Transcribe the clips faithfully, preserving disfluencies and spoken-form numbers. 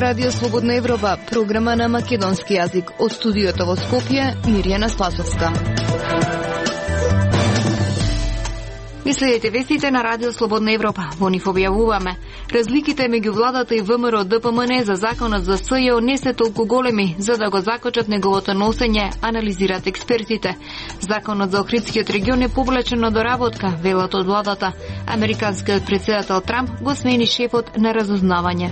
Радио Слободна Европа, програма на македонски јазик. Од студиото во Скопје, Мирјана Спасовска. Ви следите вестите на Радио Слободна Европа. Во нив објавуваме: разликите меѓу владата и ВМРО Д П М Н за законот за С Ј О не се толку големи, за да го закочат неговото носење, анализираат експертите. Законот за Охридскиот регион е повлечен од доработка, велат од владата. Американскиот претседател Трамп го смени шефот на разузнавање.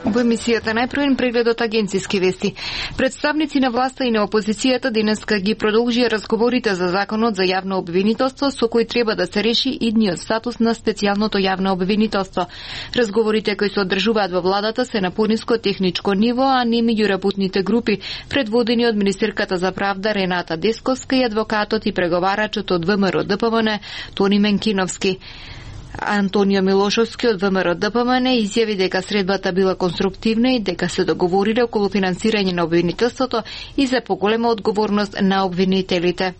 Во емисијата најпрвен преглед од агенциски вести. Представници на власта и на опозицијата денеска ги продолжија разговорите за законот за јавно обвинителство, со кој треба да се реши идниот статус на специјалното јавно обвинителство. Разговорите кои се одржуваат во владата се на пониско техничко ниво, а не меѓу работните групи, предводени од министерката за правда Рената Десковска и адвокатот и преговарачот од ВМРО Д П М Н Тони Менкиновски. Антонио Милошовски од ВМРО Д П М Н изјави дека средбата била конструктивна и дека се договориле околу финансирање на обвинителството и за поголема одговорност на обвинителите.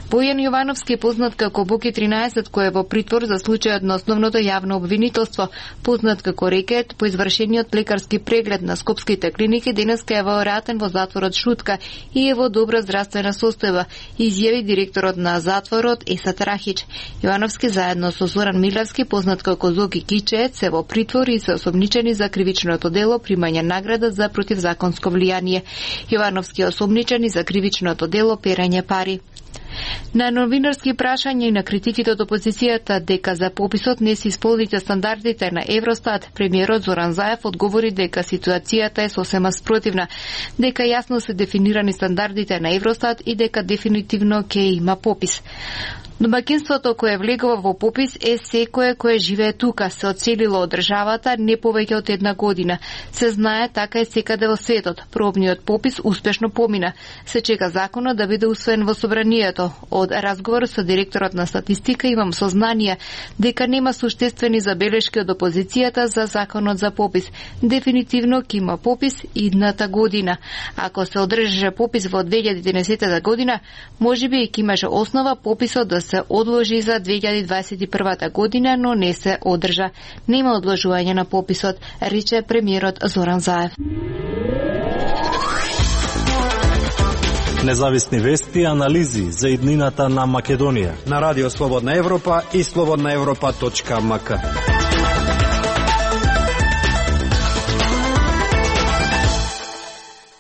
Бојан Јовановски, познат како Боки тринаесет, кој е во притвор за случајот на основното јавно обвинителство, познат како Рекет, по извршениот лекарски преглед на скопските клиники, денеска е вратен во затворот Шутка и е во добра здравствена состојба, изјави директорот на затворот Есат Рахич. Јовановски заедно со Зоран Милевски, познат како Зоки Кичеец, се во притвор и се осомничени за кривичното дело примање награда за противзаконско влијание. Јовановски е осомничен и за кривичното дело перање пари. На новинарски прашања и на критиките од опозицијата дека за пописот не се исполните стандардите на Евростат, премиерот Зоран Заев одговори дека ситуацијата е сосема спротивна, дека јасно се дефинирани стандардите на Евростат и дека дефинитивно ќе има попис. Домаќинството кое влегува во попис е секое кое живее тука, се одселило од државата не повеќе од една година. Се знае, така е секаде во светот. Пробниот попис успешно помина. Се чека законот да биде усвоен во собранието. Од разговор со директорот на статистика имам сознание дека нема суштествени забелешки од опозицијата за законот за попис. Дефинитивно ќе има попис идната година. Ако се одржеше попис во две илјади и единаесетта година, можеби ќе имаше основа пописот да се одложи за две илјади дваесет и прва година, но не се одржа. Нема одложување на пописот, рече премиерот Зоран Заев. Независни вести и анализи за иднината на Македонија на Радио Слободна Европа и слободна европа точка м к.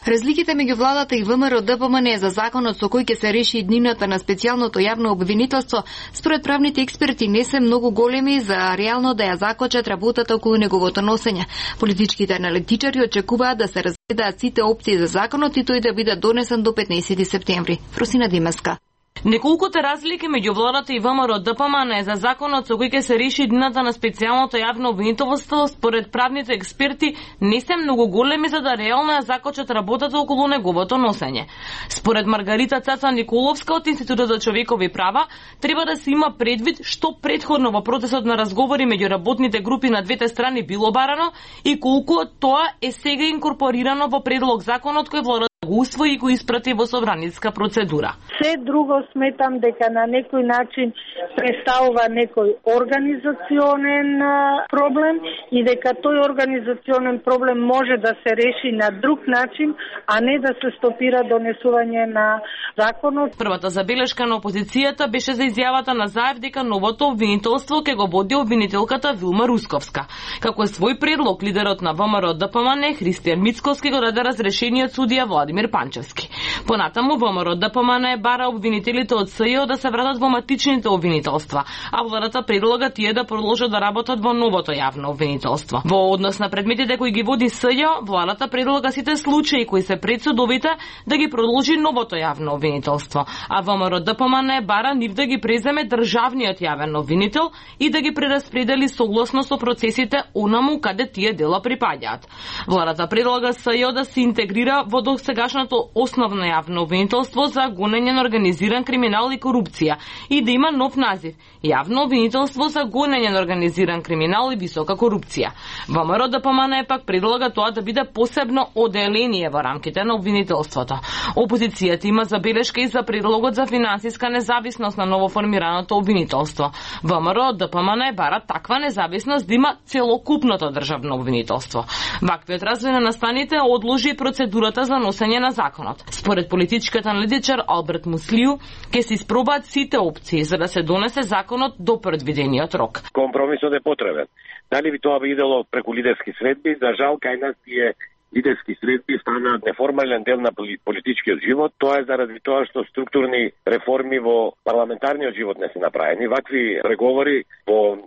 Разликите меѓу владата и ВМРО Д П М Н за законот со кој ќе се реши иднината на специјалното јавно обвинителство, според правните експерти не се многу големи за реално да ја закочат работата околу неговото носење. Политичките аналитичари очекуваат да се разгледаат сите опции за законот и тој да биде донесен до петнаесети септември. Фросина Димеска. Неколкуте разлики меѓу владата и ВМРО Д П М Н за законот со кој ќе се реши иднината на специјалното јавно обвинителство, според правните експерти не се многу големи за да реално ја закочат работата околу неговото носење. Според Маргарита Цаца Николовска од Институтот за човекови права, треба да се има предвид што претходно во процесот на разговори меѓу работните групи на двете страни било барано и колку од тоа е сега инкорпорирано во предлог законот кој владата го усвои и го испрати во собраниска процедура. Се друго сметам дека на некој начин представува некој организационен проблем и дека тој организационен проблем може да се реши на друг начин, а не да се стопира донесување на законот. Првата забелешка на опозицијата беше за изјавата на Заев дека новото обвинителство ќе го води обвинителката Вилма Русковска. Како е свој предлог, лидерот на ВМРО Д П М Н Христијан Мицковски го даде разрешениот судија Владимир Панчевски. Понатаму ВМРО Д П М Н бара обвинителите од С Ј О да се вратат во матичните обвинителства, а владата предлага тие да продолжат да работат во новото јавно обвинителство. Во однос на предметите кои ги води С Ј О, владата предлага сите случаи кои се пред судовите да ги продолжи новото јавно обвинителство, а ВМРО Д П М Н бара нив да ги преземе државниот јавен обвинител и да ги прераспредели согласно со процесите онаму каде тие дела припаѓаат. Владата предлага С Ј О да се интегрира во досегашното основно јавно обвинителство за гонење на организиран криминал и корупција и да има нов назив – јавно обвинителство за гонење на организиран криминал и висока корупција. ВМРО Д П М Н пак предлага тоа да биде посебно оделение во рамките на обвинителството. Опозицијата има забелешка и за предлогот за финансиска независност на новоформираното обвинителство. ВМРО Д П М Н бара таква независност да има целокупното државно обвинителство. Ваквиот развој на настаните одложи процедурата за носење на законот. Според политичката аналитичар Алберт Муслију, ќе се испробаат сите опции за да се донесе законот до предвидениот рок. Компромисот е потребен. Дали би тоа би идело преку лидерски средби? За жал, кај нас тие лидерски средби станаат неформален дел на политичкиот живот. Тоа е заради тоа што структурни реформи во парламентарниот живот не се направени. Вакви преговори во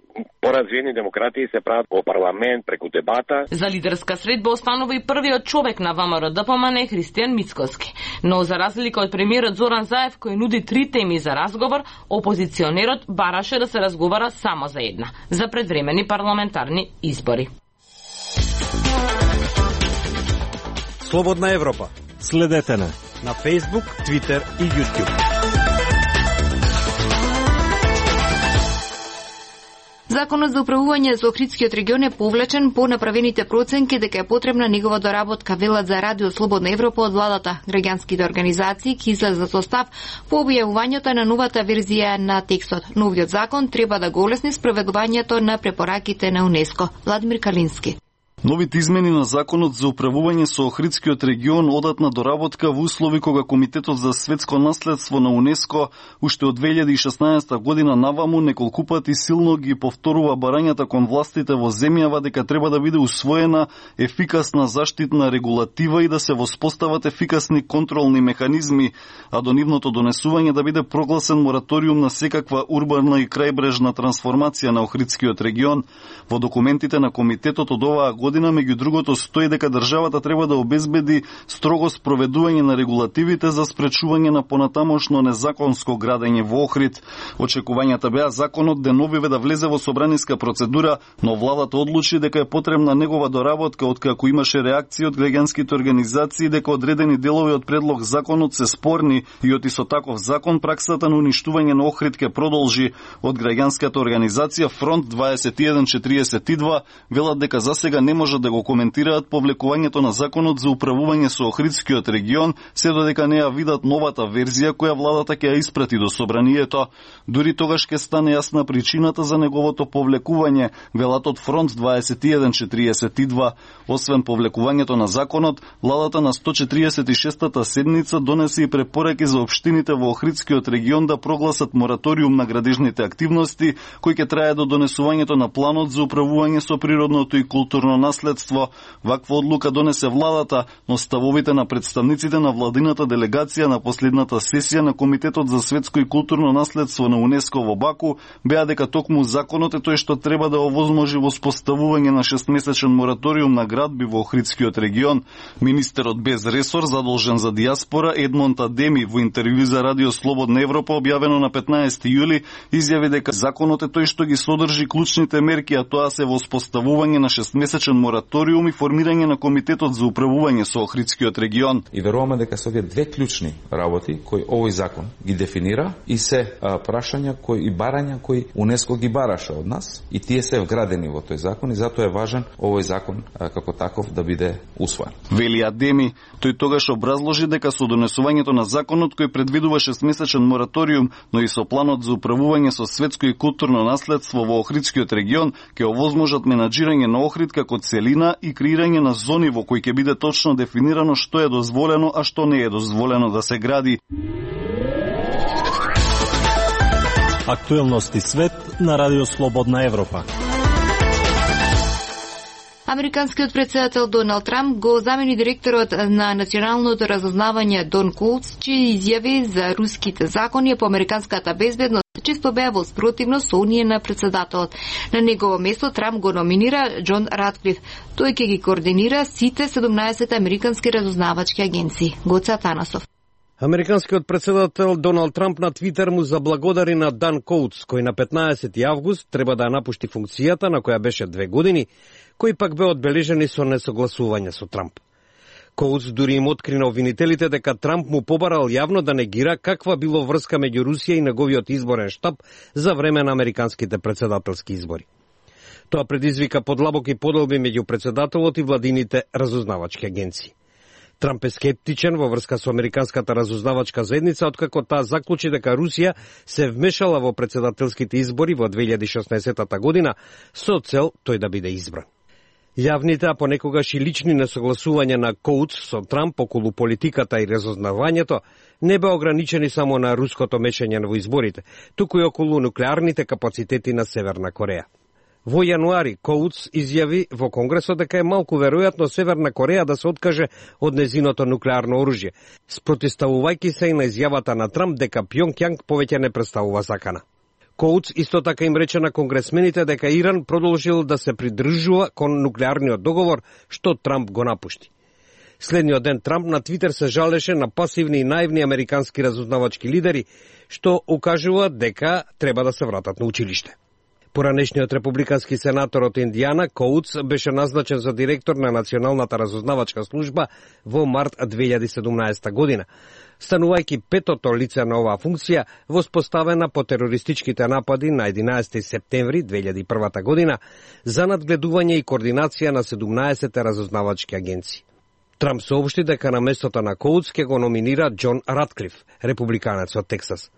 поразвиени демократии се прават во парламент преку дебата. За лидерска средба останува и првиот човек на ВМРО Д П М Н Христијан Мицкоски. Но за разлика од премиерот Зоран Заев кој нуди три теми за разговор, опозиционерот бараше да се разговара само за една – за предвремени парламентарни избори. Слободна Европа. Следете на на Facebook, Twitter и YouTube. Законот за управување за Охридскиот регион е повлечен по направените проценки дека е потребна негова доработка, велат за Радио Слободна Европа од владата. Граѓанските организации ќе излезат со став по објавувањето на новата верзија на текстот. Новиот закон треба да го олесни спроведувањето на препораките на УНЕСКО. Владимир Калински. Новите измени на законот за управување со Охридскиот регион одат на доработка во услови кога Комитетот за светско наследство на УНЕСКО уште од две илјади и шеснаесета година наваму неколку пати силно ги повторува барањата кон властите во земјава дека треба да биде усвоена ефикасна заштитна регулатива и да се воспостават ефикасни контролни механизми, а до нивното донесување да биде прогласен мораториум на секаква урбана и крајбрежна трансформација на Охридскиот регион. Во документите на комитетот од оваа година година, меѓу другото, стои дека државата треба да обезбеди строго спроведување на регулативите за спречување на понатамошно незаконско градење во Охрид. Очекувањата беа законот деновиве да влезе во собраниска процедура, но владата одлучи дека е потребна негова доработка, откако имаше реакции од граѓанските организации дека одредени делови од предлог законот се спорни и од исто таков закон праксата на уништување на Охрид ќе продолжи. Од граѓанската организација Фронт дваесет и еден четириесет и два велат дека засега не може да го коментираат повлекувањето на законот за управување со Охридскиот регион, се додека не ја видат новата верзија која владата ќе ја испрати до собранието. Дури тогаш ќе стане јасна причината за неговото повлекување, велат од Фронт дваесет и еден четириесет и два. Освен повлекувањето на законот, владата на сто четириесет и шестата седница донесе и препораки за општините во Охридскиот регион да прогласат мораториум на градежните активности, кој ќе трае до донесувањето на планот за управување со природното и културно наследство. Ваква одлука донесе владата, но ставовите на представниците на владината делегација на последната сесија на Комитетот за светско и културно наследство на УНЕСКО во Баку беа дека токму законот е тој што треба да овозможи воспоставување на шестмесечен мораториум на градби во Охридскиот регион. Министерот без ресор задолжен за дијаспора Едмонд Адеми во интервју за Радио Слободна Европа објавено на петнаесети јули изјави дека законот е тој што ги содржи клучните мерки, а тоа се воспоставување на шестмесечен мораториум и формирање на Комитетот за управување со Охридскиот регион. И веруваме дека се овие две клучни работи кои овој закон ги дефинира и се а, прашања кои и барања кои УНЕСКО ги бараше од нас и тие се вградени во тој закон и затоа е важен овој закон а, како таков да биде усвоен. Вели Адеми, тој тогаш образложи дека со донесувањето на законот кој предвидува шестмесечен мораториум, но и со планот за управување со светско и културно наследство во Охридскиот регион ќе овозможат менаџирање на Охрид како целина и креирање на зони во кои ќе биде точно дефинирано што е дозволено, а што не е дозволено да се гради. Актуелности свет на Радио Слободна Европа. Американскиот председател Доналд Трамп го замени директорот на националното разузнавање Дон Коутс, чии изјави за руските закони по американската безбедност често беа во спротивност со оние на председателот. На негово место Трамп го номинира Џон Ратклиф. Тој ќе ги координира сите седумнаесет американски разузнавачки агенции. Гоце Атанасов. Американскиот председател Доналд Трамп на Твитер му заблагодари на Дан Коутс, кој на петнаесети август треба да напушти функцијата на која беше две години, кој пак бе одбележени со несогласување со Трамп. Коутс дури им откри на обвинителите дека Трамп му побарал јавно да негира каква било врска меѓу Русија и неговиот изборен штаб за време на американските председателски избори. Тоа предизвика подлабоки поделби меѓу председателот и владините разузнавачки агенции. Трамп е скептичен во врска со американската разузнавачка заедница, откако таа заклучи дека Русија се вмешала во председателските избори во две илјади и шеснаесетта година со цел тој да биде избран. Јавните, а понекогаш и лични несогласувања на Коутс со Трамп околу политиката и разузнавањето не беа ограничени само на руското мешање во изборите, туку и околу нуклеарните капацитети на Северна Кореја. Во јануари Коутс изјави во Конгресот дека е малку веројатно Северна Кореја да се откаже од незиното нуклеарно оружје, спротивставувајќи се и на изјавата на Трамп дека Пјонкјанг повеќе не представува закана. Коутс исто така им рече на конгресмените дека Иран продолжил да се придржува кон нуклеарниот договор што Трамп го напушти. Следниот ден Трамп на Твитер се жалеше на пасивни и наивни американски разузнавачки лидери што укажуваат дека треба да се вратат на училиште. Поранешниот републикански сенатор од Индијана, Коутс, беше назначен за директор на Националната разузнавачка служба во март две илјади и седумнаесетта година, станувајќи петото лице на оваа функција воспоставена по терористичките напади на единаесети септември две илјади и прва година за надгледување и координација на седумнаесет разузнавачки агенции. Трамп соопшти дека на местото на Коутс ќе го номинира Џон Ратклиф, републиканец од Тексас.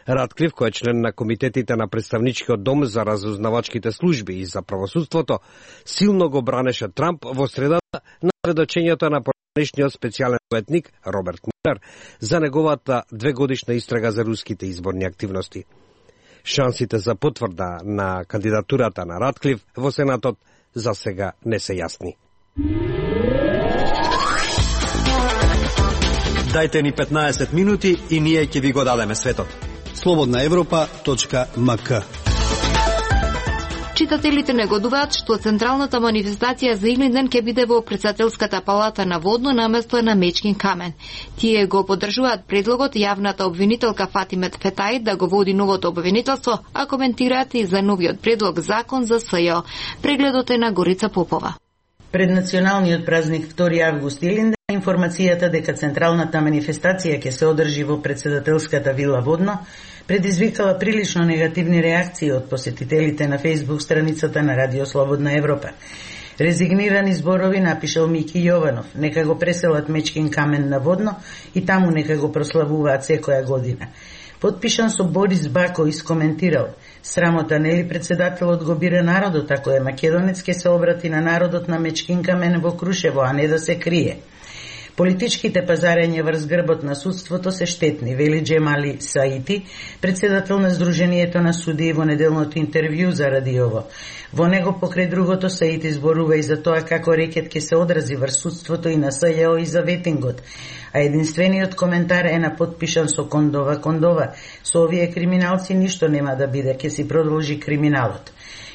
Ратклиф, кој е член на комитетите на представничкиот дом за разузнавачките служби и за правосудството, силно го бранеше Трамп во средата на сведочењето на поранешниот специјален советник Роберт Мулер за неговата двегодишна истрага за руските изборни активности. Шансите за потврда на кандидатурата на Ратклиф во Сенатот за сега не се јасни. Дајте ни петнаесет минути и ние ќе ви го дадеме светот. слободна европа точка ем ка. Читателите негодуваат што централната манифестација за идни ден ќе биде во Претседателската палата на Водно наместо на Мечкин камен. Тие го поддржуваат предлогот јавната обвинителка Фатиме Фетаи да го води новото обвинителство, а коментираат и за новиот предлог закон за СЈО. Прегледот е на Горица Попова. Пред националниот празник втори август Илинден, информацијата дека централната манифестација ќе се одржи во Претседателската вила Водно предизвикала прилично негативни реакции од посетителите на Facebook страницата на Радио Слободна Европа. Резигнирани зборови напишал Мики Јованов, нека го преселат Мечкин камен на Водно и таму нека го прославуваат секоја година. Подпишан со Борис Бако искоментирал: срамота нели председателот го бира народот, ако е македонец ке се обрати на народот на Мечкин камен во Крушево, а не да се крие. Политичките пазарења врз грбот на судството се штетни, вели Джемали Саити, председател на Сдруженијето на судии во неделното интервју за радиово. Во него покрај другото Саити зборува и за тоа како рекет ќе се одрази врз судството и на СЈО и за ветингот. А единствениот коментар е на подпишан со Кондова Кондова. Со овие криминалци ништо нема да биде, ќе си продолжи криминалот.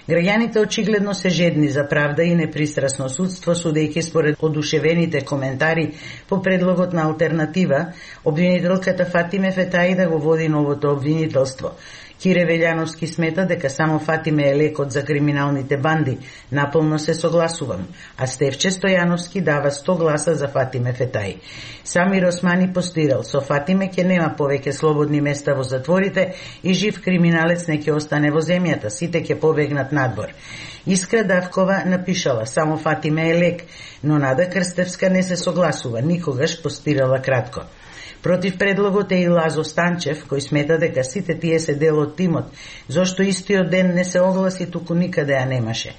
Граѓаните очигледно се жедни за правда и непристрасно судство, судејќи според одушевените коментари по предлогот на алтернатива, обвинителката Фатиме Фетаи да го води новото обвинителство. Кире Велјановски смета дека само Фатиме е лекот за криминалните банди. Наполно се согласувам. А Стефче Стојановски дава сто гласа за Фатиме Фетаи. Самир Османи постирал: со Фатиме ќе нема повеќе слободни места во затворите и жив криминалец не ќе остане во земјата, сите ќе побегнат надвор. Искра Давкова напишала: само Фатиме е лек, но Нада Крстевска не се согласува, никогаш, постирала кратко. Против предлогот е и Лазо Станчев, кој смета дека сите тие се дел од тимот, зошто истиот ден не се огласи, туку никаде ја немаше.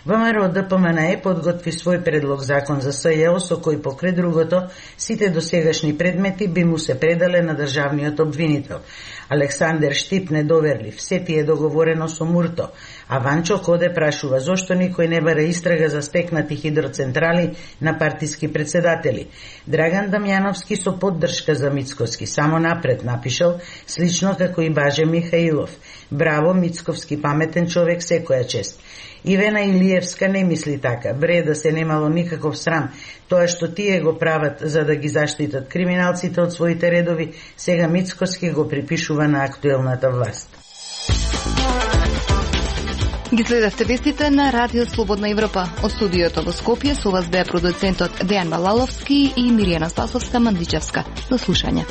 ВМРО Д П М Н Е подготви свој предлог закон за СЈО, со кој покрај другото сите досегашни предмети би му се предале на државниот обвинител. Александер Штип недоверлив: се ти е договорено со Мурто. А Ванчо Коде прашува зошто никој не бара истрага за стекнати хидроцентрали на партиски председатели. Драган Дамјановски со поддршка за Мицковски само напред напишал, слично како и Баже Михаилов: браво, Мицковски паметен човек, секоја чест. Ивена Илиевска не мисли така: бре, да се немало никаков срам, тоа што тие го прават за да ги заштитат криминалците од своите редови, сега Мицковски го припишува на актуелната власт. Ги следевте вестите на Радио Слободна Европа. Од студиото во Скопје со вас беа продуцентот Дејан Балаловски и Миријана Спасовска-Мандичевска. До слушање.